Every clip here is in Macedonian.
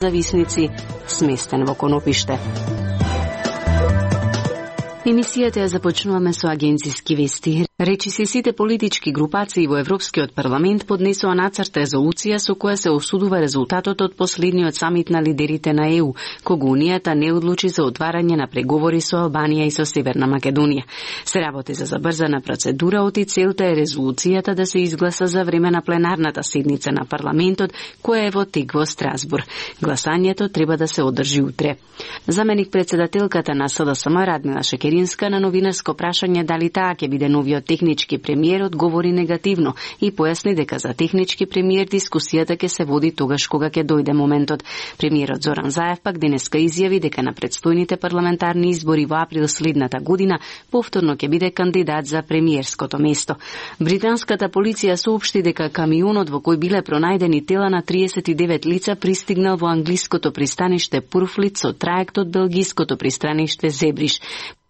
зависници сместен во Конопиште. Емисијата ја започнуваме со агенциски вести. Речиси сите политички групации во Европскиот парламент поднесоа нацрт резолуција со која се осудува резултатот од последниот самит на лидерите на ЕУ, кога Унијата не одлучи за отварање на преговори со Албанија и со Северна Македонија. Се работи за забрзана процедура, оти целта е резолуцијата да се изгласа за време на пленарната седница на парламентот, која е во тек во Страсбур. Гласањето треба да се одржи утре. Заменик председателката на СДСМ Радмила Шекеринска на новинарско прашање дали таа ќе биде новиот технички премиер одговори негативно и појасни дека за технички премиер дискусијата ќе се води тогаш кога ќе дојде моментот. Премиерот Зоран Заев пак денеска изјави дека на претстојните парламентарни избори во април следната година повторно ќе биде кандидат за премиерското место. Британската полиција соопшти дека камионот во кој биле пронајдени тела на 39 лица пристигнал во англиското пристаниште Пурфлит со траект од белгиското пристаниште Зебриш.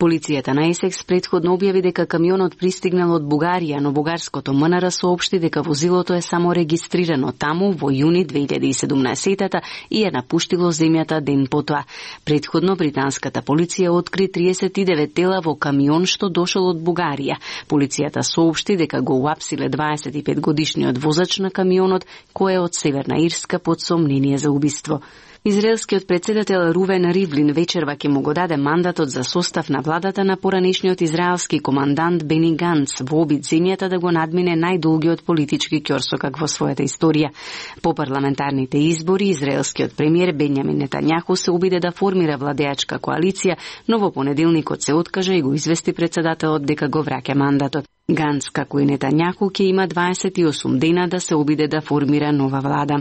Полицијата на Есекс претходно објави дека камионот пристигнал од Бугарија, но бугарското МНР соопшти дека возилото е само регистрирано таму во јуни 2017 и е напуштило земјата ден потоа. Претходно британската полиција откри 39 тела во камион што дошол од Бугарија. Полицијата соопшти дека го уапсиле 25 годишниот возач на камионот, кој е од Северна Ирска под сомнение за убиство. Израелскиот председател Рувен Ривлин вечерва ќе му го даде мандатот за состав на владата на поранешниот израелски командант Бени Ганц во обид земјата да го надмине најдолгиот политички ќорсокак во својата историја. По парламентарните избори, израелскиот премиер Бенјамин Нетањаху се обиде да формира владеачка коалиција, но во понеделникот се откажа и го извести председателот дека го враќа мандатот. Ганц, како и Нетањаху, ќе има 28 дена да се обиде да формира нова влада.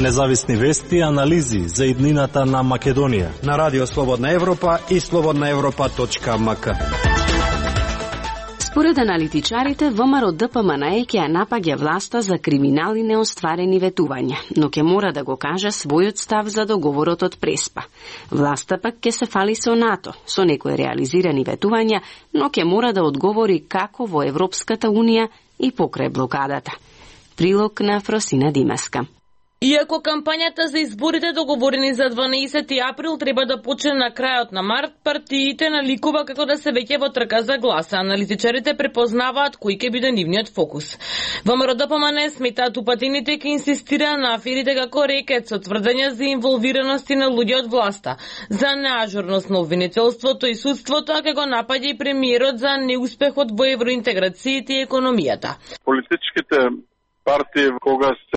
Независни вести и анализи за иднината на Македонија на Радио Слободна Европа и slobodnaevropa.mk. Според аналитичарите, ВМРО ДПМН ќе ја напаѓа власта за криминали неостварени ветувања, но ќе мора да го каже својот став за договорот од Преспа. Власта пак ќе се фали со НАТО, со некои реализирани ветувања, но ќе мора да одговори како во Европската Унија и покрај блокадата. Прилог на Фросина Димаска. Иако кампањата за изборите договорени за 12 април треба да почне на крајот на март, партиите наликува како да се веќе во трка за гласа. Аналитичарите препознаваат кој ќе биде нивниот фокус. ВМРО ДПМН сметаат упатените ќе инсистира на аферите како рекет со тврдења за инволвираности на луѓе од власта, за неажурност на обвинителството и судството, а ќе го напаѓа и премиерот за неуспехот во евроинтеграциите и економијата. Политичките партии кога